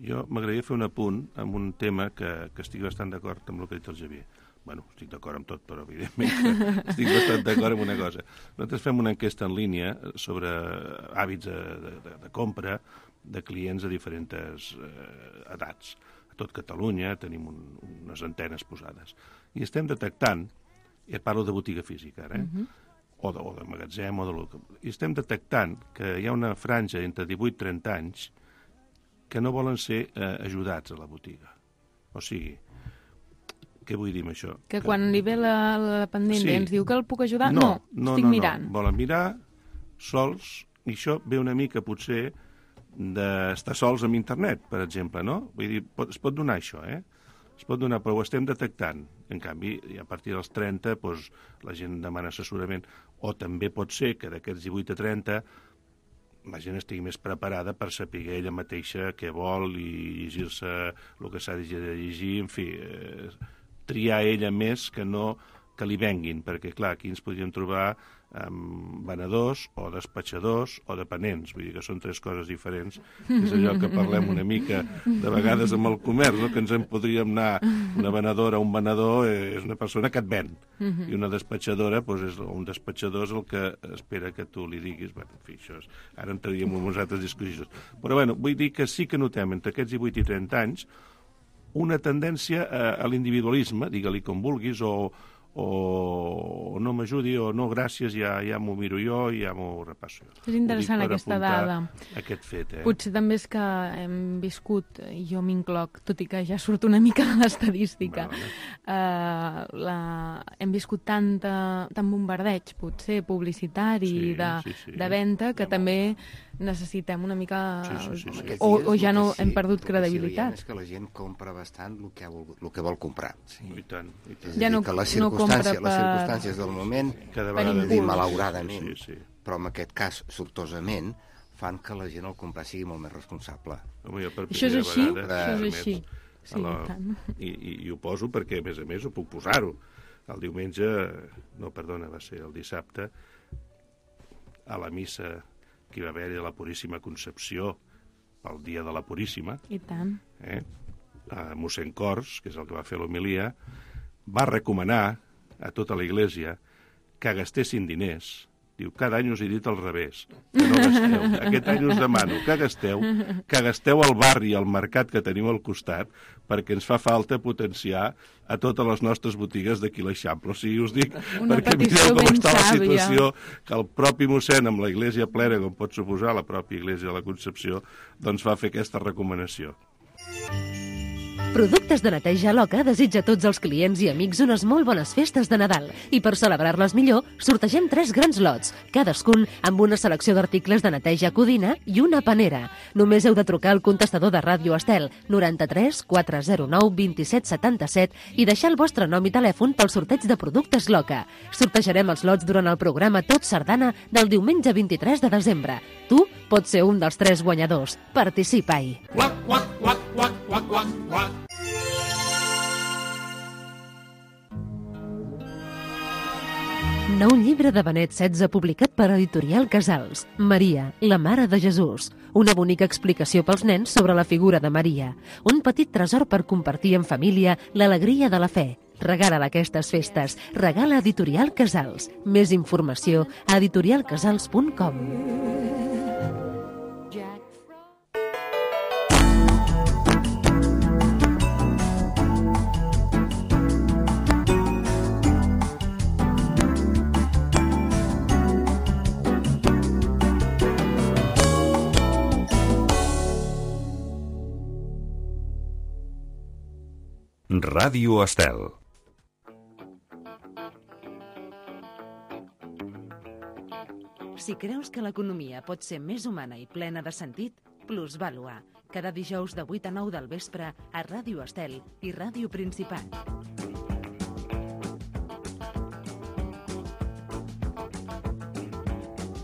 Jo m'agradaria fer un apunt amb un tema que estic bastant d'acord amb el que ha dit el Xavier. Bueno, estic d'acord amb tot, però evidentment estic bastant d'acord amb una cosa. Nosaltres fem una enquesta en línia sobre hàbits de compra de clients de diferents edats. A tot Catalunya tenim unes antenes posades. I estem detectant, i parlo de botiga física ara, o de magatzem, i estem detectant que hi ha una franja entre 18 i 30 anys que no volen ser ajudats a la botiga. O sigui, què vull dir amb això? Que quan li ve la dependent ens diu que el puc ajudar? No, estic mirant. No, volen mirar sols, i això ve una mica potser d'estar sols amb internet, per exemple, no? Vull dir, es pot donar això, es pot donar, però ho estem detectant. En canvi, a partir dels 30, doncs, la gent demana assessorament, o també pot ser que d'aquests 18 a 30 la gent estigui més preparada per saber ella mateixa què vol i llegir-se el que s'ha de llegir, en fi, triar ella més que no que li venguin, perquè, clar, aquí ens podríem trobar amb venedors o despatxadors o dependents, vull dir que són tres coses diferents, és allò que parlem una mica de vegades amb el comerç, no? Que ens en podríem anar, una venedora o un venedor és una persona que et ven, i una despatxadora, doncs, un despatxador és el que espera que tu li diguis, bueno, en fi, això és, ara entraríem en unes altres discussions, però bueno, vull dir que sí que notem entre aquests 18 i 30 anys una tendència a l'individualisme, digue-li com vulguis, o no m'ajudi, o no, gràcies, ja m'ho miro jo i ja m'ho repasso jo. És interessant aquesta dada. Aquest fet, Potser també és que hem viscut, i jo m'incloc, tot i que ja surt una mica de l'estadística, hem viscut tant bombardeig, potser, publicitari, de venda, que també necessitem una mica... O ja no hem perdut credibilitat. És que la gent compra bastant el que vol comprar. I tant. Ja no les circumstàncies del moment, cada vegada dir malauradament, però en aquest cas, sortosament, fan que la gent al comprar sigui molt més responsable. Això és així? Sí, tant. I ho poso perquè, a més, ho puc posar-ho. El diumenge, va ser el dissabte, a la missa que hi va haver de la Puríssima Concepció, el dia de la Puríssima, I tant. mossèn Cors, que és el que va fer l'homilia, va recomanar a tota la Iglésia que gastessin diners. Diu, cada any us he dit al revés, que no gasteu. Aquest any us demano que gasteu al barri, al mercat que teniu al costat, perquè ens fa falta potenciar a totes les nostres botigues d'aquí l'Eixample. O sigui, us dic, perquè mireu com està la situació, que el propi mossèn, amb la Iglésia plena, com pot suposar la pròpia Iglésia de la Concepció, doncs va fer aquesta recomanació. Productes de neteja Loca desitja a tots els clients i amics unes molt bones festes de Nadal i per celebrar-les millor sortegem 3 grans lots, cadascun amb una selecció d'articles de neteja codina i una panera. Només heu de trucar al contestador de Ràdio Estel 93 409 27 77 i deixar el vostre nom i telèfon pel sorteig de productes Loca. Sortejarem els lots durant el programa Tot Sardana del diumenge 23 de desembre. Tu pots ser un dels 3 guanyadors. Participa-hi. Nou llibre de Benet XVI publicat per Editorial Casals. Maria, la Mare de Jesús. Una bonica explicació pels nens sobre la figura de Maria. Un petit tresor per compartir en família l'alegria de la fe. Regala aquestes festes. Regala Editorial Casals. Més informació a editorialcasals.com. Ràdio Estel. Si creus que l'economia pot ser més humana i plena de sentit, Plusvàlua. Cada dijous de 8 a 9 del vespre a Ràdio Estel i Ràdio Principat.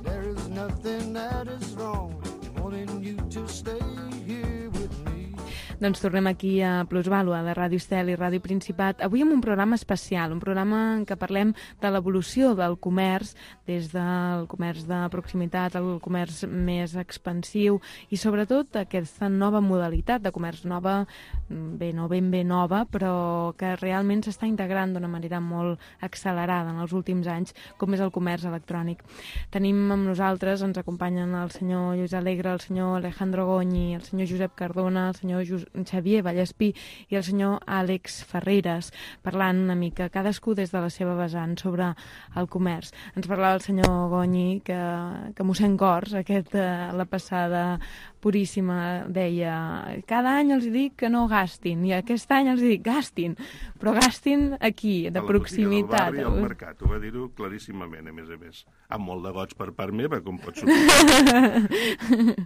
There is nothing that is wrong wanting you to stay here with me. Doncs tornem aquí a Plusvàlua, de Ràdio Estel i Ràdio Principat. Avui amb un programa especial, un programa en què parlem de l'evolució del comerç, des del comerç de proximitat al comerç més expansiu i sobretot aquesta nova modalitat de comerç nova, no ben bé nova, però que realment s'està integrant d'una manera molt accelerada en els últims anys, com és el comerç electrònic. Tenim amb nosaltres, ens acompanyen el senyor Lluís Alegre, el senyor Alejandro Goñi, el senyor Josep Cardona, el senyor Xavier Vallespí i el senyor Àlex Ferreres, parlant una mica, cadascú des de la seva vessant sobre el comerç. Ens parlava el senyor Goñi que mossèn Cors, la passada Puríssima, deia cada any els dic que no gastin i aquest any els dic gastin, però gastin aquí, de proximitat. Al barri, al mercat, ho va dir-ho claríssimament, a més, amb molt de goig per part meva, com pot suposar.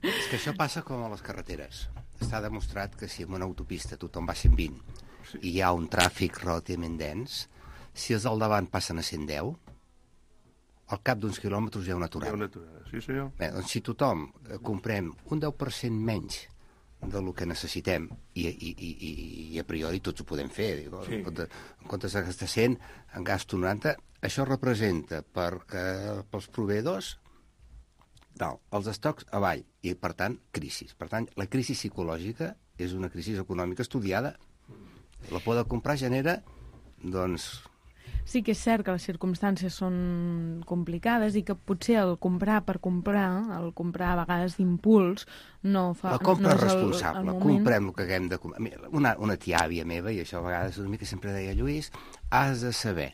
És que això passa com a les carreteres. Està demostrat que si en una autopista tothom va a 120 i hi ha un tràfic relativament dens, si els del davant passen a 110, al cap d'uns quilòmetres hi ha una aturada. Hi ha una aturada, sí senyor. Bé, doncs si tothom comprem un 10% menys del que necessitem i a priori tots ho podem fer, en comptes de gastar 100 en gasto 90, això representa pels proveïdors els estocs avall i, per tant, crisis. Per tant, la crisi psicològica és una crisi econòmica estudiada. La por de comprar genera, doncs... Sí que és cert que les circumstàncies són complicades i que potser el comprar per comprar, el comprar a vegades d'impuls, no fa... La compra és responsable, comprem el que haguem de comprar. Una tia-àvia meva, i això a vegades una mica sempre deia, Lluís, has de saber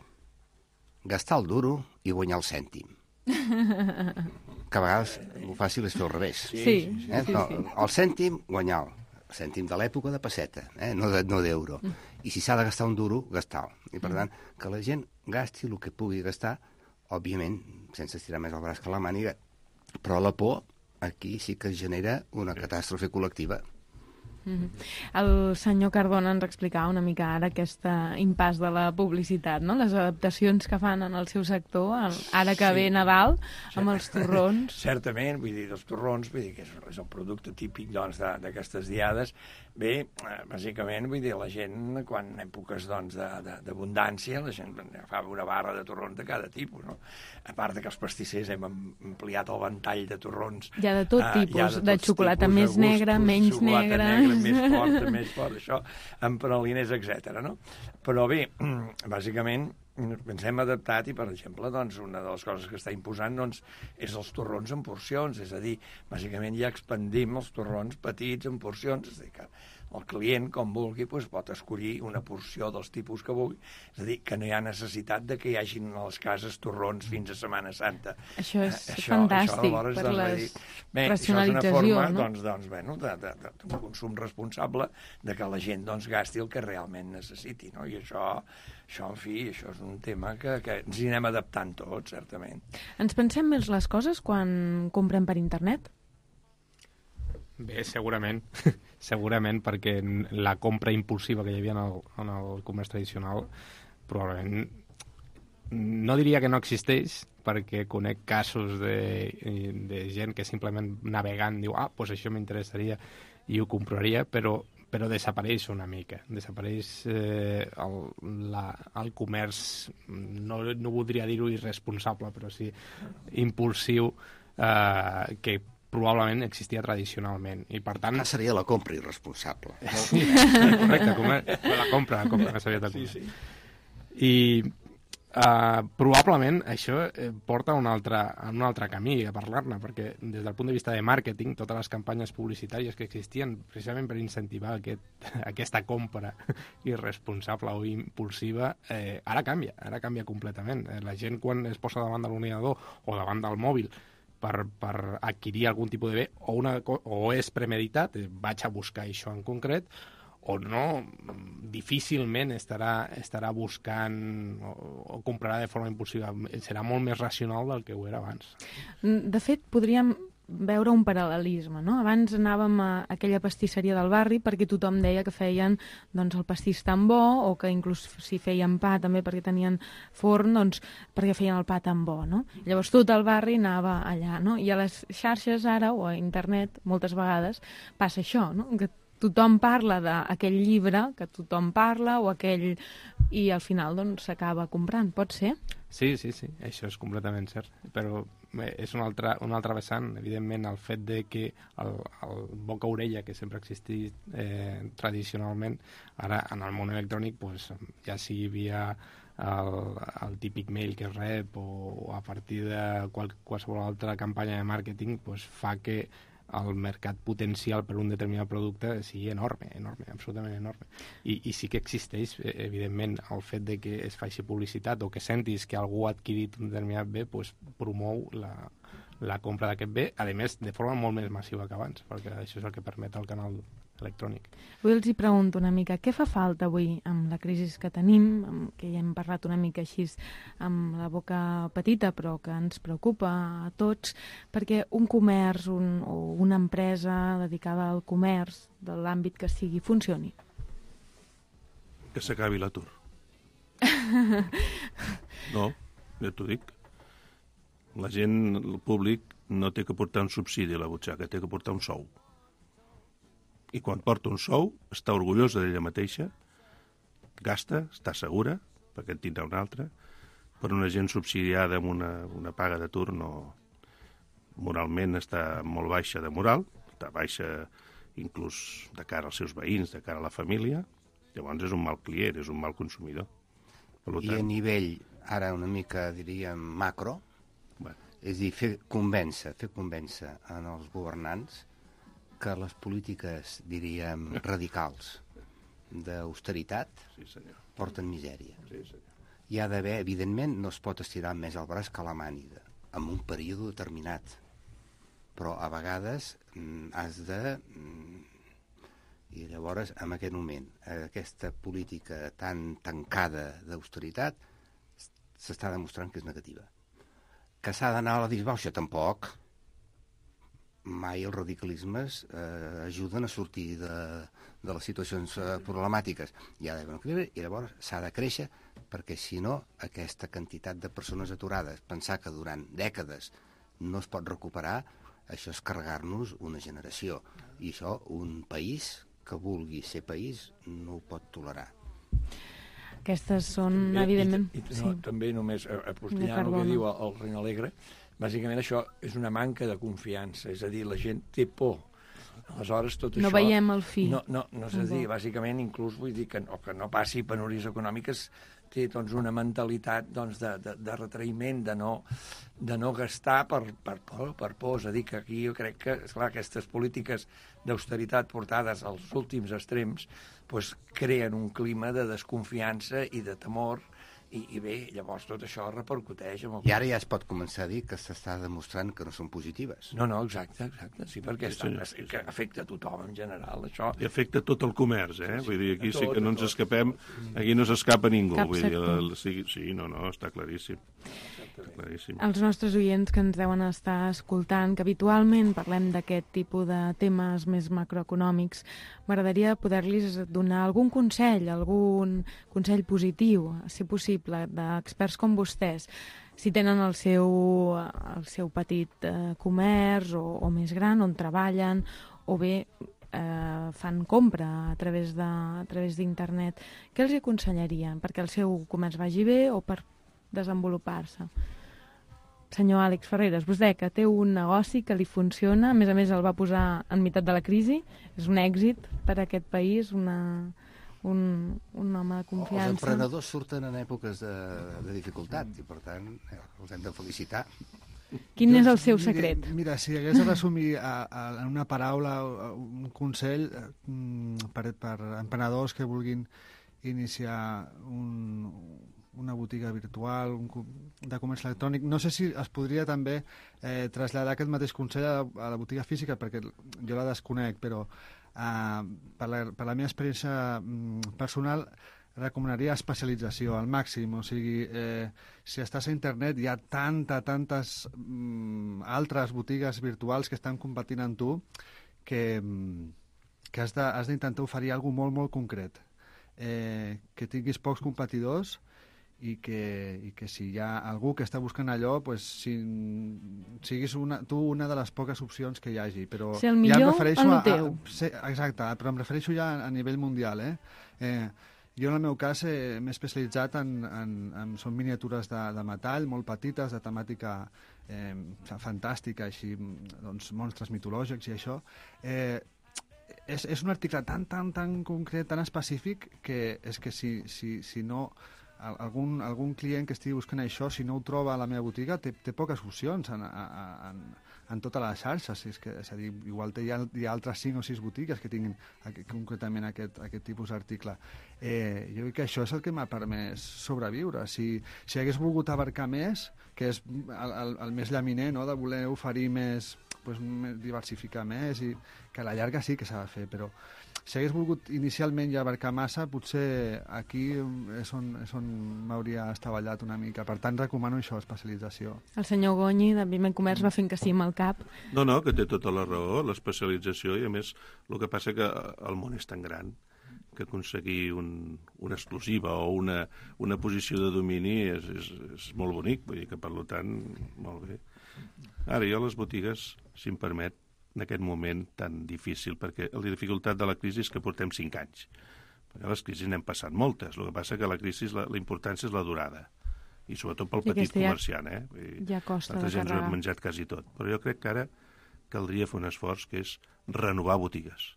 gastar el duro i guanyar el cèntim. Que a vegades el fàcil és fer al revés. El cèntim, guanyar-lo. El cèntim de l'època de pesseta, no d'euro. I si s'ha de gastar un duro, gastar-lo. I per tant, que la gent gasti el que pugui gastar, òbviament, sense estirar més el braç que la màniga, però la por aquí sí que genera una catàstrofe col·lectiva. El senyor Cardona ens explicava una mica ara aquest impàs de la publicitat, no? Les adaptacions que fan en el seu sector, ara que ve Nadal, amb els torrons. Certament, vull dir, els torrons, vull dir que és el producte típic doncs, d'aquestes diades. Bé, bàsicament, vull dir, la gent, quan en èpoques d'abundància, la gent fa una barra de torrons de cada tipus, no? A part que els pastissers hem ampliat el ventall de torrons. Hi ha de tot tipus, de xocolata més negra, menys negra, més fort, això, amb praliners, etc. No? Però bé, bàsicament, ens hem adaptat i, per exemple, doncs, una de les coses que està imposant doncs, és els torrons en porcions, és a dir, bàsicament ja expandim els torrons petits en porcions, és a dir, que el client, com vulgui, doncs, pot escollir una porció dels tipus que vulgui, és a dir, que no hi ha necessitat de que hi hagin a les cases torrons fins a Setmana Santa. Això és fantàstic, aleshores, per la racionalització, forma, no? d'un consum responsable de que la gent doncs, gasti el que realment necessiti, no? I això, en fi, això és un tema que ens hi anem adaptant tots, certament. Ens pensem més les coses quan comprem per internet? Bé, segurament. Segurament, perquè la compra impulsiva que hi havia en el comerç tradicional probablement no diria que no existeix, perquè conec casos de gent que simplement navegant diu, doncs això m'interessaria i ho compraria, però desapareix una mica. Desapareix el comerç, no voldria dir-ho irresponsable, però sí impulsiu, que probablement existia tradicionalment. I per tant... seria la compra irresponsable. Sí, correcte, la compra no s'havia de comprar. I probablement això porta a un altre camí a parlar-ne, perquè des del punt de vista de màrqueting, totes les campanyes publicitàries que existien precisament per incentivar aquesta compra irresponsable o impulsiva, ara canvia completament. La gent, quan es posa davant de l'ordinador o davant del mòbil per adquirir algun tipus de bé, o és premeditat, vaig a buscar això en concret, o no, difícilment estarà buscant o comprarà de forma impulsiva. Serà molt més racional del que ho era abans. De fet, podríem veure un paral·lelisme, no? Abans anàvem a aquella pastisseria del barri perquè tothom deia que feien doncs, el pastís tan bo, o que inclús si feien pa també perquè tenien forn, doncs perquè feien el pa tan bo, no? Llavors tot el barri anava allà, no? I a les xarxes ara, o a internet, moltes vegades passa això, no? Que tothom parla d'aquell llibre que tothom parla, o aquell... i al final doncs s'acaba comprant, pot ser? Sí, això és completament cert, però és un altre vessant, evidentment, el fet de que el boca-orella que sempre ha existit tradicionalment, ara en el món electrònic, pues, ja sigui via el típic mail que es rep o a partir de qualsevol altra campanya de màrqueting, pues, fa que el mercat potencial per un determinat producte sigui enorme, absolutament enorme. I sí que existeix, evidentment, el fet de que es faci publicitat o que sentis que algú ha adquirit un determinat bé, doncs promou la compra d'aquest bé, a més, de forma molt més massiva que abans, perquè això és el que permet el canal electrònic. Avui els hi pregunto una mica, què fa falta avui amb la crisi que tenim, que ja hem parlat una mica així amb la boca petita, però que ens preocupa a tots, perquè un comerç o una empresa dedicada al comerç, de l'àmbit que sigui, funcioni? Que s'acabi l'atur. No, ja t'ho dic. La gent, el públic, no té que portar un subsidi a la butxaca, té que portar un sou. I quan porta un sou, està orgullosa d'ella mateixa, gasta, està segura, perquè en tindrà un altre, per una gent subsidiada amb una paga d'atur moralment està molt baixa de moral, està baixa inclús de cara als seus veïns, de cara a la família, llavors és un mal client, és un mal consumidor. I a nivell, ara una mica diríem macro, és a dir, fer convèncer en els governants que les polítiques, diríem, radicals d'austeritat porten misèria. Hi ha d'haver, evidentment, no es pot estirar més el braç que la màniga, en un període determinat, però a vegades has de... I llavors, en aquest moment, aquesta política tan tancada d'austeritat s'està demostrant que és negativa. Que s'ha d'anar a la disbauxa? Tampoc. mai els radicalismes ajuden a sortir de les situacions problemàtiques. Hi ha d'haver un equilibri i llavors s'ha de créixer, perquè si no, aquesta quantitat de persones aturades, pensar que durant dècades no es pot recuperar, això és carregar-nos una generació. I això un país que vulgui ser país no ho pot tolerar. Aquestes són, evidentment... També només apostillant el que diu el Reina Alegre, bàsicament això és una manca de confiança, és a dir, la gent té por. Aleshores, tot no això... veiem el fi. No és a dir, bàsicament, inclús vull dir que no passi penúries econòmiques, té una mentalitat de retraïment, de no gastar per por. És a dir, que aquí jo crec que, esclar, aquestes polítiques d'austeritat portades als últims extrems creen un clima de desconfiança i de temor, i bé, llavors tot això repercuteix. I ara ja es pot començar a dir que s'està demostrant que no són positives. No, exacte, sí, perquè que afecta a tothom en general, això. I afecta tot el comerç, Vull dir, aquí sí que no ens escapem, aquí no s'escapa ningú. Cap sector. Sí, no, està claríssim. Els nostres oients que ens deuen estar escoltant, que habitualment parlem d'aquest tipus de temes més macroeconòmics, m'agradaria poder-los donar algun consell positiu, si possible, d'experts com vostès, si tenen el seu petit comerç o més gran, on treballen, o bé fan compra a través d'internet. Què els aconsellarien? Perquè el seu comerç vagi bé o per desenvolupar-se? Senyor Àlex Ferreres, vostè que té un negoci que li funciona, a més el va posar en meitat de la crisi, és un èxit per a aquest país, un home de confiança. Els emprenedors surten en èpoques de dificultat i, per tant, els hem de felicitar. Quin és el seu secret? Mira, si hagués de resumir en una paraula, un consell per emprenedors que vulguin iniciar una botiga virtual, de comerç electrònic. No sé si es podria també traslladar aquest mateix consell a la botiga física, perquè jo la desconec, però per la meva experiència personal recomanaria especialització al màxim. O sigui, si estàs a internet hi ha tantes altres botigues virtuals que estan competint amb tu que has d'intentar oferir alguna molt, molt concret. Que tinguis pocs competidors i que si hi ha algú que està buscant allò, siguis tu una de les poques opcions que hi hagi. Però ser el millor en el teu. Exacte, però em refereixo ja a nivell mundial. Jo, en el meu cas, m'he especialitzat són miniatures de metall, molt petites, de temàtica fantàstica, així, doncs, monstres mitològics i això. És un article tan concret, tan específic, que és que si no... Algun client que estigui buscant això, si no ho troba a la meva botiga, té poques opcions en tota la xarxa. És a dir, igual hi ha altres 5 o 6 botigues que tinguin concretament aquest tipus d'article. Jo crec que això és el que m'ha permès sobreviure. Si hagués volgut abarcar més, que és el més llaminer, no?, de voler oferir més, diversificar més, i que a la llarga sí que s'ha de fer, però si hagués volgut inicialment ja abarcar massa, potser aquí és on m'hauria estavellat una mica. Per tant, recomano això, especialització. El senyor Gonyi, de Vivent Comerç, va fent que sí amb el cap. No, que té tota la raó, l'especialització, i a més el que passa que el món és tan gran que aconseguir una exclusiva o una posició de domini és molt bonic, vull dir que, per tant, molt bé. Ara, jo a les botigues, si em permet, en aquest moment tan difícil, perquè la dificultat de la crisi és que portem 5 anys. Perquè les crisis n'hem passat moltes, el que passa que la crisi, la importància és la durada, i sobretot pel petit comerciant, Ja costa de carregar. Ens hem menjat quasi tot. Però jo crec que ara caldria fer un esforç que és renovar botigues.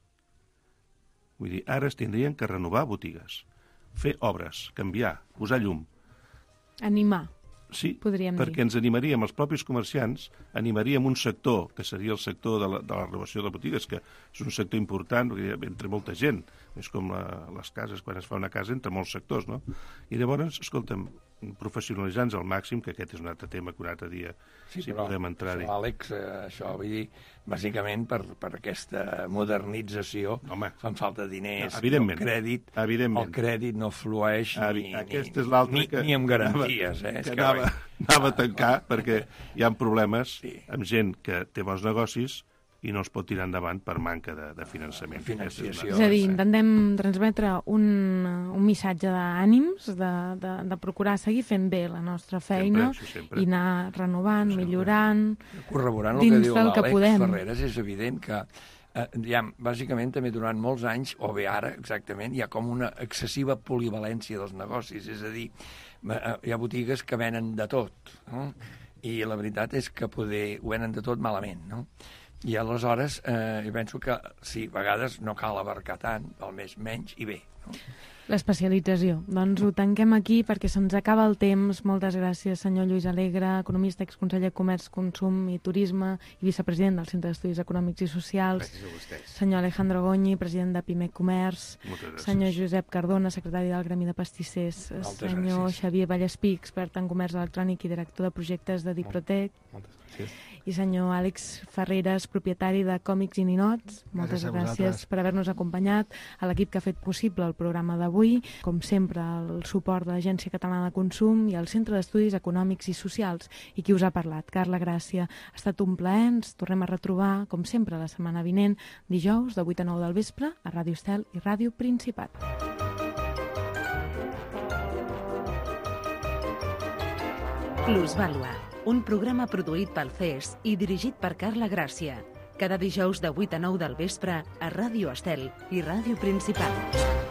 Vull dir, ara es tindrien que renovar botigues, fer obres, canviar, posar llum. Animar. Sí, perquè ens animaríem, els propis comerciants, animaríem un sector, que seria el sector de la renovació de botigues, que és un sector important, entre molta gent, és com les cases, quan es fa una casa, entre molts sectors, no? I llavors, escolta'm, professionalitzants al màxim, que aquest és un altre tema que un altre dia podem entrar-hi. Això, Àlex, això vull dir, bàsicament per aquesta modernització fan falta diners, el crèdit no flueix ni amb garanties. Anava a tancar, perquè hi ha problemes amb gent que té bons negocis, i no es pot tirar endavant per manca de finançament. Financiació. És a dir, intentem transmetre un missatge d'ànims, de procurar seguir fent bé la nostra feina sempre. I anar renovant, millorant, corroborant el que dins diu del que l'Àlex podem. Ferreres, és evident que bàsicament també durant molts anys, o bé ara exactament, hi ha com una excessiva polivalència dels negocis, és a dir, hi ha botigues que venen de tot, no? I la veritat és que poder ho venen de tot malament, no? I aleshores jo penso que sí, a vegades no cal abarcar tant, al més menys i bé, no? L'especialització. Doncs ho tanquem aquí perquè se'ns acaba el temps. Moltes gràcies, senyor Lluís Alegre, economista, exconseller de Comerç, Consum i Turisme i vicepresident del Centre d'Estudis Econòmics i Socials. Gràcies a vostès. Senyor Alejandro Goñi, president de Pimec Comerç. Senyor Josep Cardona, secretari del Gremi de Pastissers. Senyor Xavier Vallespí, expert en comerç electrònic i director de projectes de Diprotec. Moltes gràcies. I senyor Àlex Ferreres, propietari de Còmics i Ninots. Moltes gràcies per haver-nos acompanyat, a l'equip que ha fet possible el programa d'avui. Com sempre, el suport de l'Agència Catalana de Consum i el Centre d'Estudis Econòmics i Socials. I qui us ha parlat? Carla Gràcia. Ha estat un plaer, ens tornem a retrobar, com sempre, la setmana vinent, dijous, de 8 a 9 del vespre, a Ràdio Estel i Ràdio Principat. Plusvàlua, un programa produït pel CES i dirigit per Carla Gràcia. Cada dijous de 8 a 9 del vespre a Ràdio Estel i Ràdio Principat.